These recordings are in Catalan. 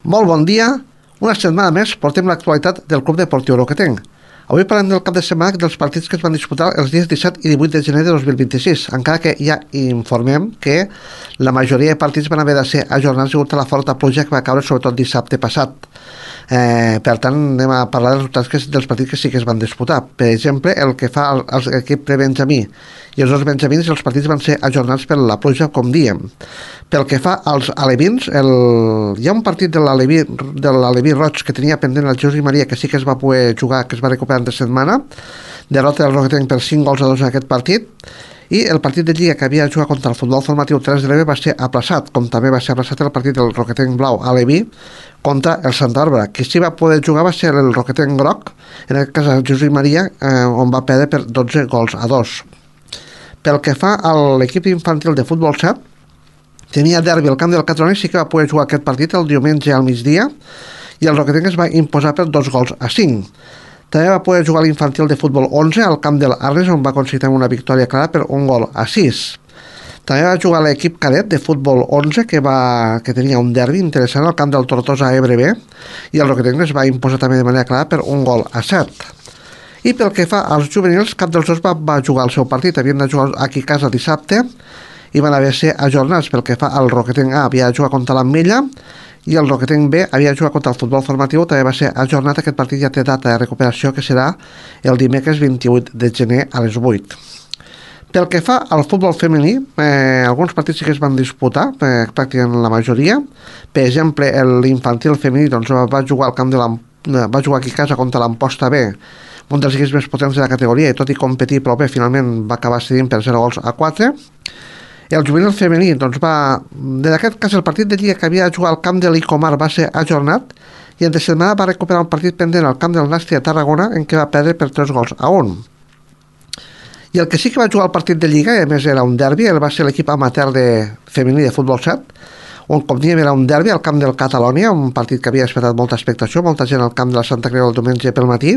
Molt bon dia. Una setmana més portem l'actualitat del Club Deportiu Roquetenc. Avui parlem del cap de setmana dels partits que es van disputar els dies 17 i 18 de gener de 2026, encara que ja informem que la majoria de partits van haver de ser ajornats degut a la forta pluja que va caure sobretot dissabte passat. Per tant, anem a parlar dels resultats dels partits que sí que es van disputar. Per exemple, el que fa l'equip de Benjamí i els dos benjamins, els partits van ser ajornats per la pluja, com diem. Pel que fa als alevins, hi ha un partit de l'Aleví Roig que tenia pendent el Jesús i Maria, que sí que es va poder jugar, que es va recuperar entre setmana, derrota del Roquetenc per 5-2 en aquest partit, i el partit de Lliga que havia jugat contra el futbol formatiu 3 de l'Eve va ser aplaçat, com també va ser aplaçat el partit del Roquetenc Blau Aleví contra el Santa Bàrbara. Qui sí va poder jugar va ser el Roquetenc Groc, en aquest cas el Jesús i Maria, on va perdre per 12-2. Pel que fa a l'equip infantil de futbol 7, tenia derbi al camp del Catalonia, sí que va poder jugar aquest partit el diumenge al migdia, i el Roquetenc es va imposar per 2-5. També va poder jugar l'infantil de futbol 11 al camp del Arles, on va aconseguir una victòria clara per 1-6. També va jugar l'equip cadet de futbol 11 que tenia un derbi interessant al camp del Tortosa Ebre B, i el Roquetenc es va imposar també de manera clara per 1-7. I pel que fa als juvenils, cap dels dos va jugar el seu partit. Havien de jugar aquí a casa dissabte i van haver de ser ajornats. Pel que fa al Roquetenc A, havia de jugar contra l'Ametlla, i el Roquetenc B havia de jugar contra el futbol formatiu, també va ser ajornat. Aquest partit ja té data de recuperació, que serà el dimecres 28 de gener a les 8. Pel que fa al futbol femení, alguns partits sí que es van disputar, pràcticament la majoria. Per exemple, l'infantil femení va jugar al camp va jugar aquí a casa contra l'Amposta B, un dels equips més potents de la categoria, i tot i competir prou bé, finalment va acabar cedint per 0-4. El juvenil femení en aquest cas el partit de Lliga que havia de jugar al camp de l'Icomar va ser ajornat, i entre setmana va recuperar un partit pendent al camp del Nàstia a Tarragona, en què va perdre per 3-1. I el que sí que va jugar al partit de Lliga, i a més era un derbi, va ser l'equip amateur femení de futbol 7, on com diem era un derbi al camp del Catalonia, un partit que havia despertat molta expectació, molta gent al camp de la Santa Creu el diumenge pel matí.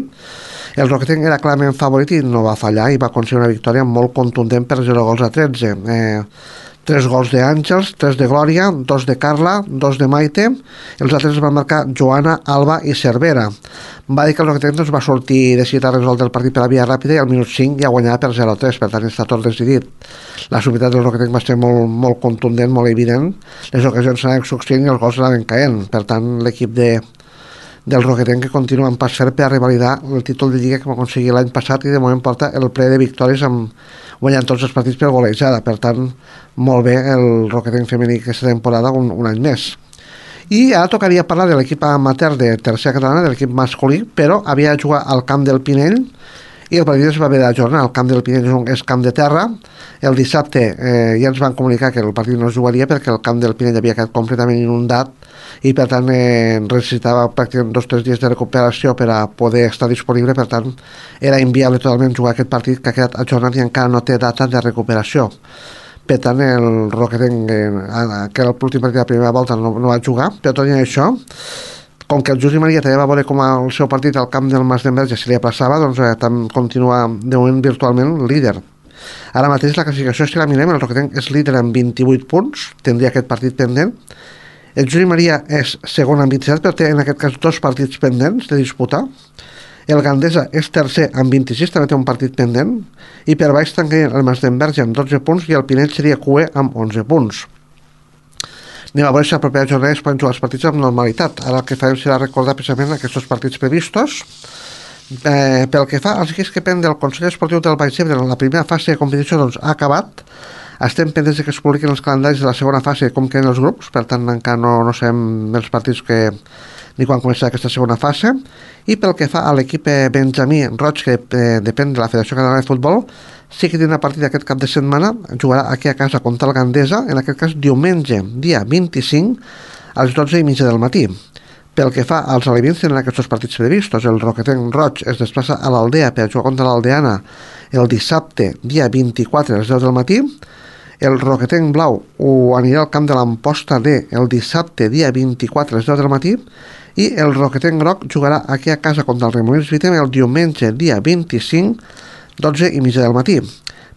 El Roquetenc era clarament favorit i no va fallar, i va aconseguir una victòria molt contundent per 0-13. 3 gols d'Àngels, 3 de Glòria, 2 de Carla, 2 de Maite, els altres van marcar Joana, Alba i Cervera. Va dir que el Roquetenc va sortir decidit a resoldre el partit per la via ràpida, i al minut 5 ja guanyava per 0-3, per tant està tot decidit. La superioritat del Roquetenc va ser molt contundent, molt evident, les ocasions s'anaven succeint i els gols anaven caent. Per tant, l'equip del Roquetenc que continua en pas ferm per a revalidar el títol de Lliga que va aconseguir l'any passat, i de moment porta el ple de victòries guanyant tots els partits per golejada. Per tant, molt bé el Roquetenc femení aquesta temporada, un any més. I ara tocaria parlar de l'equip amateur de tercera catalana, de l'equip masculí, però havia de jugar al camp del Pinell, i el partit es va haver d'ajornar. El camp del Pinell és camp de terra. El dissabte ja ens van comunicar que el partit no es jugaria perquè el camp del Pinell havia quedat completament inundat, i per tant necessitava pràcticament 2 o 3 dies de recuperació per a poder estar disponible. Per tant, era inviable totalment jugar aquest partit, que ha quedat ajornat i encara no té data de recuperació. Per tant, el Roquetenc, que era l'últim partit de la primera volta, no va jugar. Però tot i això, com que el Jesús i Maria també va veure com el seu partit al camp del Mas d'Enverge se li aplaçava, doncs continua de moment virtualment líder. Ara mateix la classificació, si la mirem, el Roquetenc és líder amb 28 punts, tindria aquest partit pendent. El Jesús i Maria és segon amb 27, però té en aquest cas 2 partits pendents de disputar. El Gandesa és tercer amb 26, també té un partit pendent, i per baix tancaria el Mas d'Enverge amb 12 punts, i el Pinell seria cuer amb 11 punts. Anem a veure si la propera jornada es poden jugar els partits amb normalitat. Ara el que farem serà recordar precisament aquests partits previstos. Pel que fa als equips que depèn del Consell Esportiu del Baix Ebre, la primera fase de competició ha acabat. Estem pendents de que es publiquin els calendaris de la segona fase, com queden els grups, per tant encara no sabem els partits ni quan començarà aquesta segona fase. I pel que fa a l'equip Benjamí Roig, que depèn de la Federació Catalana de Futbol, sí que tindrà partit aquest cap de setmana, jugarà aquí a casa contra el Gandesa, en aquest cas diumenge, dia 25, a les 12:30 del matí. Pel que fa als alevins, tenen aquests partits previstos. El Roquetenc Roig es desplaça a l'Aldea per jugar contra l'Aldeana el dissabte, dia 24, a les 10 del matí. El Roquetenc Blau anirà al camp de l'Amposta D el dissabte, dia 24, a les 10 del matí, i el Roquetenc Groc jugarà aquí a casa contra el Remolins Vitem el diumenge, dia 25, 12:30 del matí.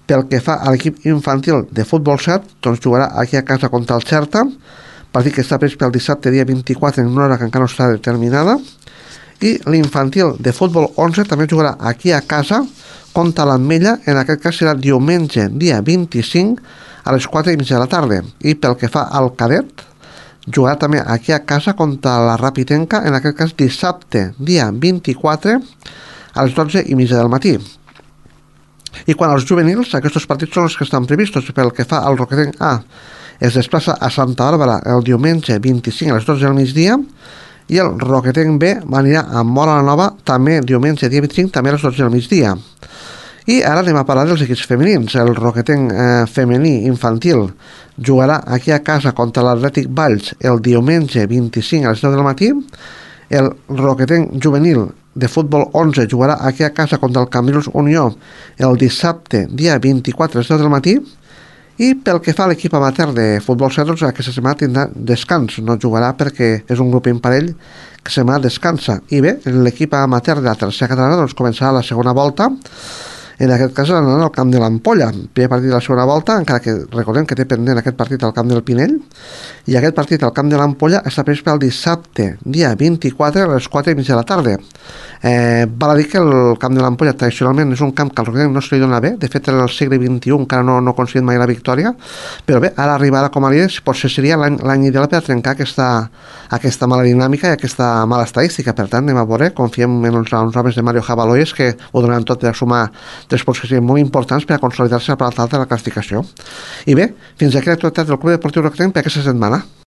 Pel que fa a l'equip infantil de futbol 7, doncs jugarà aquí a casa contra el Xerta, partit que està previst pel dissabte dia 24 en una hora que encara no està determinada, i l'infantil de futbol 11 també jugarà aquí a casa contra l'Ametlla, en aquest cas serà diumenge dia 25 a les 4:30 de la tarda, i pel que fa al cadet jugarà també aquí a casa contra la Rapitenca, en aquest cas dissabte dia 24 a les 12:30 del matí. I quan als juvenils, aquests partits són els que estan previstos. Pel que fa al Roquetenc A, es desplaça a Santa Bàrbara el diumenge 25 a les 12 del migdia, i el Roquetenc B anirà a Móra la Nova també diumenge dia 25, també a les 12 del migdia. I ara anem a parlar dels equips femenins. El Roquetenc femení infantil jugarà aquí a casa contra l'Atlètic Valls el diumenge 25 a les 10 del matí. El Roquetenc juvenil de futbol 11 jugarà aquí a casa contra el Cambrils Unió el dissabte dia 24 a les 10 del matí. I pel que fa a l'equip amateur de futbol 7, doncs aquesta setmana tindrà descans, no jugarà perquè és un grup imparell que setmana descansa. I bé, l'equip amateur de la tercera catalana doncs començarà la segona volta, en aquest cas anant al camp de l'Ampolla, primer partit de la segona volta, encara que recordem que té pendent aquest partit al camp del Pinell, i aquest partit al camp de l'Ampolla està previst pel dissabte, dia 24 a les 4:30 de la tarda. Val a dir que el camp de l'Ampolla tradicionalment és un camp que al Roquetenc no se li dona bé, de fet en el segle XXI encara no ha aconseguit mai la victòria, però bé, ara arribarà com a líder, potser seria l'any ideal per trencar aquesta mala dinàmica i aquesta mala estadística. Per tant, anem a veure, confiem en uns homes de Mario Jabaloyes que ho donaran tot per sumar 3 punts que serien molt importants per a consolidar-se a la part alta de la classificació. I bé, fins aquí l'actualitat del Club Deportiu Roquetenc per aquesta setmana.